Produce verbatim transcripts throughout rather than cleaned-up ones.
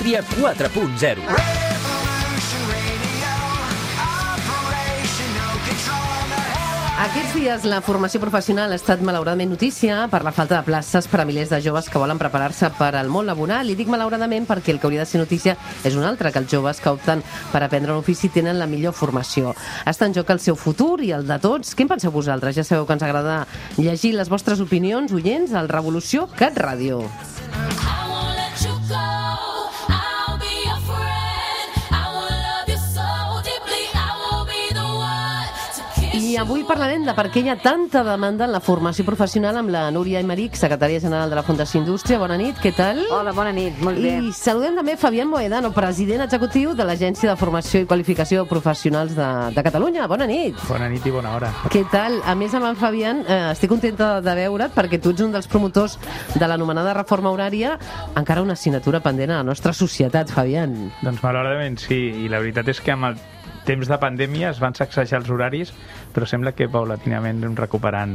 Mídia quatre punt zero. Aquests dies la formació professional ha estat malauradament notícia per la falta de places per a milers de joves que volen preparar-se per al món laboral. I dic malauradament perquè el que hauria de ser notícia és un altre, que els joves que opten per aprendre un ofici tenen la millor formació. Està en joc el seu futur i el de tots. Què en penseu vosaltres? Ja sabeu que ens agrada llegir les vostres opinions, oients, al Revolució Cat Ràdio. I avui parlarem de per què hi ha tanta demanda en la formació professional amb la Núria Aymeric, secretària general de la Fundació Indústria. Bona nit, què tal? Hola, bona nit, molt bé. I saludem també Fabián Moedano, president executiu de l'Agència de Formació i Qualificació Professionals de, de Catalunya. Bona nit. Bona nit i bona hora. Què tal? A més, amb en Fabián, eh, estic contenta de veure't perquè tu ets un dels promotors de l'anomenada reforma horària, encara una assignatura pendent a la nostra societat, Fabián. Doncs malauradament sí, i la veritat és que amb el temps de pandèmia es van sacsejar els horaris, però sembla que paulatinament anem recuperant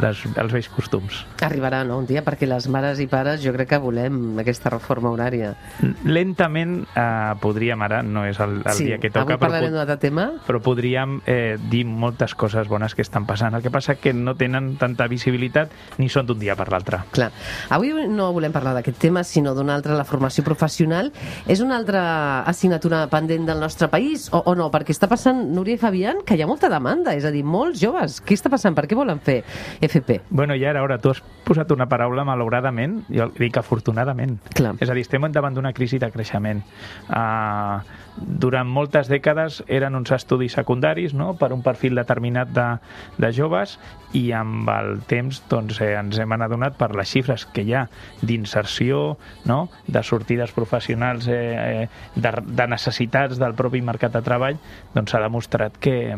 les, els vells costums. Arribarà, no?, un dia, perquè les mares i pares jo crec que volem aquesta reforma horària. Lentament eh, podríem, ara no és el, el sí, dia que toca, avui parlarem d'un altre tema. Però podríem eh, dir moltes coses bones que estan passant. El que passa que no tenen tanta visibilitat ni són d'un dia per l'altre. Clar. Avui no volem parlar d'aquest tema, sinó d'una altra, la formació professional. És una altra assignatura pendent del nostre país, o, o no? Perquè està passant, Núria i Fabián, que hi ha molta demanda, és a dir, molts joves. Què està passant? Per què volen fer F P? Bueno, ja era hora. Tu has posat una paraula malauradament, jo dic afortunadament. Clar. És a dir, estem davant d'una crisi de creixement. Uh, durant moltes dècades eren uns estudis secundaris, no?, per un perfil determinat de, de joves, i amb el temps doncs, eh, ens hem adonat per les xifres que hi ha d'inserció, no?, de sortides professionals, eh, de, de necessitats del propi mercat de treball, doncs s'ha demostrat que,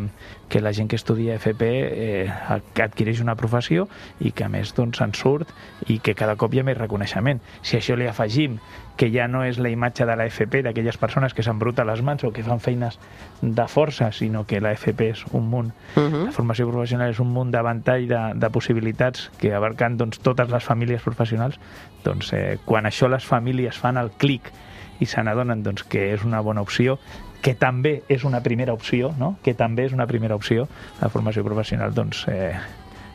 que la gent que estudia F P eh, adquireix una professió i que a més doncs, se'n surt i que cada cop hi ha més reconeixement. Si això li afegim que ja no és la imatge de la F P, d'aquelles persones que s'embruten les mans o que fan feines de força, sinó que la F P és un munt, uh-huh. La formació professional és un munt de ventall de, de possibilitats que abarcant doncs, totes les famílies professionals, doncs eh, quan això les famílies fan el clic i se n'adonen doncs, que és una bona opció, que també és una primera opció, no?, que també és una primera opció, la formació professional, doncs eh,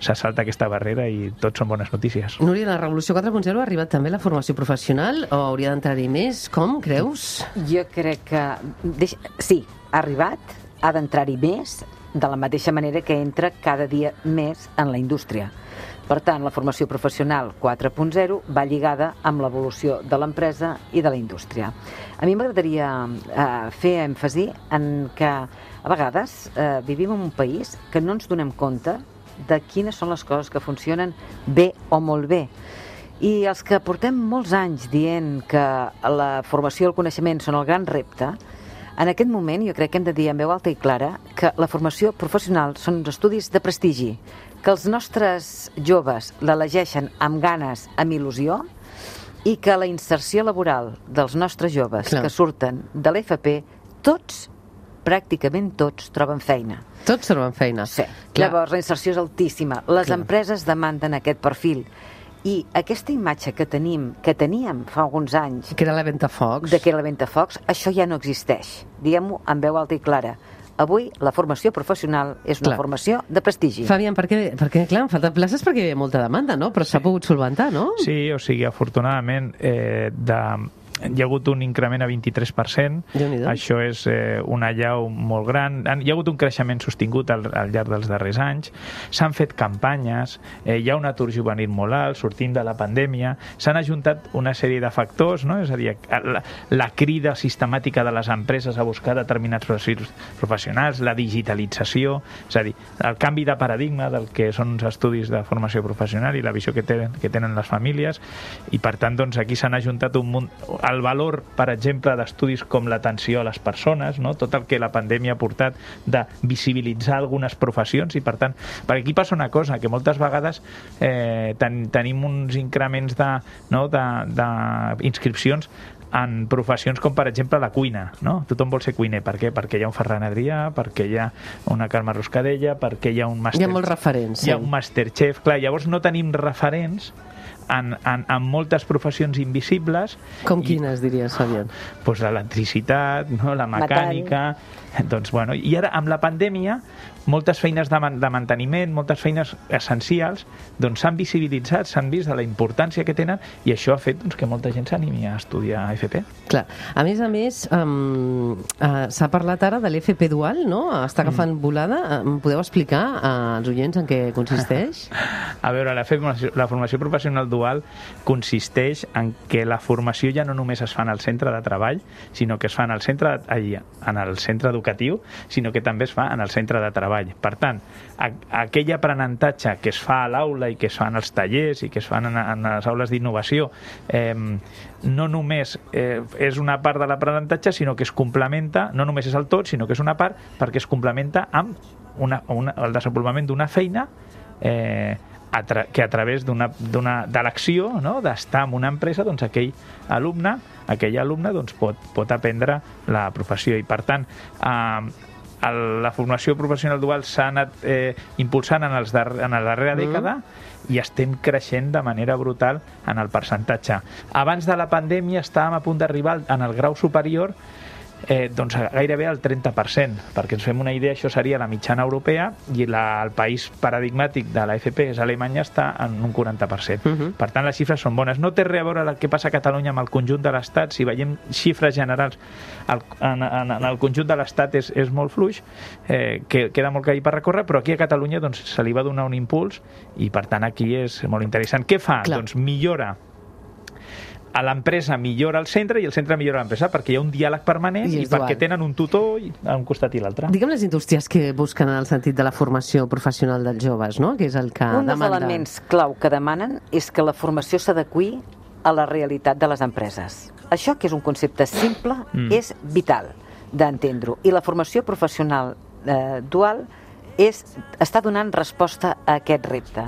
se salta aquesta barrera i tot són bones notícies. Núria, la Revolució quatre punt zero ha arribat també la formació professional o hauria d'entrar-hi més? Com, creus? Jo crec que... Deix... Sí, ha arribat, ha d'entrar-hi més, de la mateixa manera que entra cada dia més en la indústria. Per tant, la formació professional quatre punt zero va lligada amb l'evolució de l'empresa i de la indústria. A mi m'agradaria eh, fer èmfasi en que a vegades eh, vivim en un país que no ens donem compte de quines són les coses que funcionen bé o molt bé. I els que portem molts anys dient que la formació i el coneixement són el gran repte, en aquest moment jo crec que hem de dir en veu alta i clara que la formació professional són uns estudis de prestigi, que els nostres joves l'elegeixen amb ganes, amb il·lusió, i que la inserció laboral dels nostres joves Clar. que surten de l'F P, tots, pràcticament tots, troben feina. Tots troben feina. Sí. Clar. Llavors, la inserció és altíssima. Les Clar. empreses demanden aquest perfil. I aquesta imatge que tenim, que teníem fa alguns anys... Que era la Ventafocs. De que era la Ventafocs, això ja no existeix. Diguem-ho amb veu alta i clara. Avui la formació professional és una clar. formació de prestigi. Fabián, per què, perquè, clar, han faltat places perquè hi havia molta demanda, no? Però s'ha sí. pogut solventar, no? Sí, o sigui, afortunadament, eh, de... hi ha hagut un increment a vint-i-tres per cent. Això és eh, una allau molt gran. Hi ha hagut un creixement sostingut al, al llarg dels darrers anys. S'han fet campanyes, eh, hi ha un atur juvenil molt alt, sortint de la pandèmia. S'han ajuntat una sèrie de factors, no? És a dir, la, la crida sistemàtica de les empreses a buscar determinats perfils professionals, la digitalització, és a dir, el canvi de paradigma del que són uns estudis de formació professional i la visió que tenen, que tenen les famílies, i per tant, doncs, aquí s'han ajuntat un munt... El valor, per exemple, d'estudis com l'atenció a les persones, no? Tot el que la pandèmia ha portat de visibilitzar algunes professions, i per tant, perquè aquí passa una cosa, que moltes vegades eh, ten, tenim uns increments de, no? de, de inscripcions en professions com, per exemple, la cuina, no? Tothom vol ser cuiner. Per què? Perquè hi ha un Ferran Adrià, perquè hi ha una Carme Roscadella, perquè hi ha un Master... Hi ha molts referents. Hi ha sí. un Masterchef. Clar, llavors no tenim referents en, en, en moltes professions invisibles. Com quines, i, diries, Fabián? Doncs l'electricitat, no? La mecànica... Doncs, bueno, i ara, amb la pandèmia, moltes feines de, man de manteniment, moltes feines essencials, doncs s'han visibilitzat, s'han vist de la importància que tenen, i això ha fet doncs, que molta gent s'animi a estudiar F P. Clar. A més a més, um, uh, s'ha parlat ara de l'F P dual, no? Està agafant mm. volada. Em podeu explicar als oients en què consisteix? A veure, la formació, la formació professional dual consisteix en que la formació ja no només es fa en el centre de treball, sinó que es fa en el centre, allà, en el centre educatiu, sinó que també es fa en el centre de treball. Per tant, a, aquell aprenentatge que es fa a l'aula i que es fa en els tallers i que es fan en, en les aules d'innovació, eh, no només eh, és una part de l'aprenentatge, sinó que es complementa, no només és el tot, sinó que és una part perquè es complementa amb una, una, el desenvolupament d'una feina eh, a tra que a través d'una de l'acció, no? D'estar en una empresa, doncs aquell alumne, aquell alumne doncs, pot, pot aprendre la professió. I per tant, eh, la formació professional dual s'ha anat eh, impulsant en, els dar en la darrera dècada mm. i estem creixent de manera brutal en el percentatge. Abans de la pandèmia estàvem a punt d'arribar en el grau superior eh, doncs gairebé al trenta per cent, perquè ens fem una idea, això seria la mitjana europea, i la, el país paradigmàtic de la F P, és Alemanya, està en un quaranta per cent. Uh -huh. Per tant, les xifres són bones. No té res a veure el que passa a Catalunya amb el conjunt de l'Estat. Si veiem xifres generals, el, en, en, en el conjunt de l'Estat és, és molt fluix, eh, que queda molt camí per recórrer, però aquí a Catalunya doncs, se li va donar un impuls, i per tant aquí és molt interessant. Què fa? Clar. Doncs millora a l'empresa, millora el centre, i el centre millora l'empresa, perquè hi ha un diàleg permanent i, i perquè tenen un tutor a un costat i l'altre. Digue'm les indústries que busquen en el sentit de la formació professional dels joves, no? Que és el que un demanda. Un dels elements clau que demanen és que la formació s'adeqüi a la realitat de les empreses. Això, que és un concepte simple, mm. és vital d'entendre-ho. I la formació professional eh, dual és, està donant resposta a aquest repte.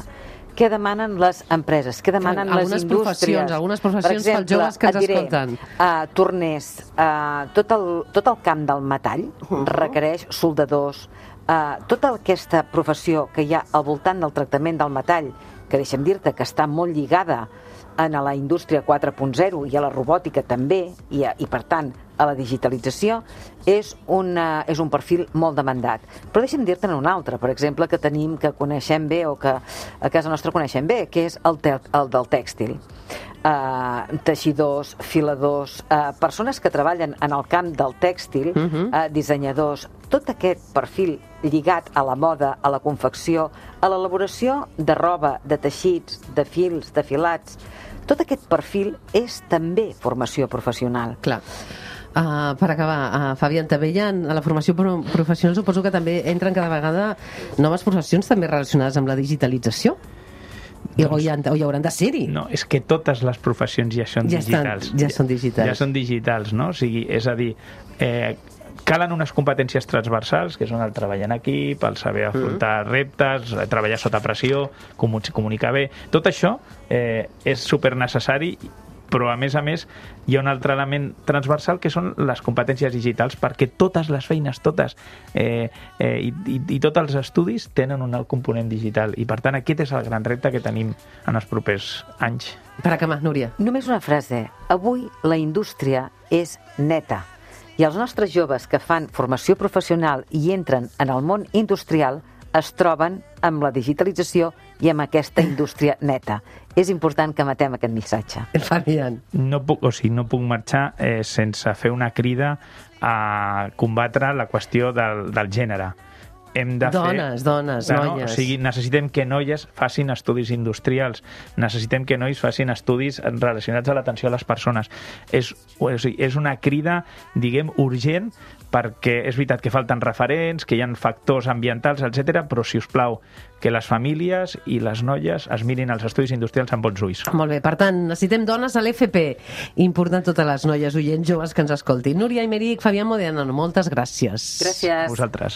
Què demanen les empreses? Què demanen algunes les indústries? Professions, algunes professions per exemple, pels joves que ens diré, escolten. Uh, torners, uh, tot, el, tot el camp del metall uh-huh. requereix soldadors, uh, tota aquesta professió que hi ha al voltant del tractament del metall, que deixa'm dir-te que està molt lligada a la indústria quatre punt zero i a la robòtica també, i, a, i per tant a la digitalització, és, una, és un perfil molt demandat. Però deixa'm dir-te'n un altre, per exemple, que tenim, que coneixem bé o que a casa nostra coneixem bé, que és el, te el del tèxtil. Uh, teixidors, filadors, uh, persones que treballen en el camp del tèxtil, uh-huh. uh, dissenyadors, tot aquest perfil lligat a la moda, a la confecció, a l'elaboració de roba, de teixits, de fils, de filats. Tot aquest perfil és també formació professional. Clar. Uh, per acabar, uh, Fabián, també hi ha, a la formació pro professional suposo que també entren cada vegada noves professions també relacionades amb la digitalització? Doncs, o, hi ha, o hi hauran de ser-hi? No, és que totes les professions ja són ja digitals. Estan, ja són digitals. Ja són digitals, no? O sigui, és a dir, eh, calen unes competències transversals, que són el treball en equip, el saber afrontar mm. reptes, treballar sota pressió, comunicar bé. Tot això eh, és supernecessari, però a més a més hi ha un altre element transversal que són les competències digitals, perquè totes les feines, totes, eh, eh, i, i, i tots els estudis tenen un alt component digital, i per tant aquest és el gran repte que tenim en els propers anys. Per acabar, Núria. Només una frase. Avui la indústria és neta, i els nostres joves que fan formació professional i entren en el món industrial es troben amb la digitalització i amb aquesta indústria neta. És important que matem aquest missatge. Fabián. No puc, o sigui, no puc marxar eh, sense fer una crida a combatre la qüestió del, del gènere. Hem de dones, fer... dones, no, noies. O sigui, necessitem que noies facin estudis industrials, necessitem que nois facin estudis relacionats a l'atenció a les persones. És, o sigui, és una crida, diguem, urgent, perquè és veritat que falten referents, que hi ha factors ambientals, etcètera, però, si us plau, que les famílies i les noies es mirin els estudis industrials amb bons ulls. Molt bé, per tant, necessitem dones a l'F P. Important totes les noies oients joves que ens escoltin. Núria Aymeric, Fabián Modiano, moltes gràcies. Gràcies. A vosaltres.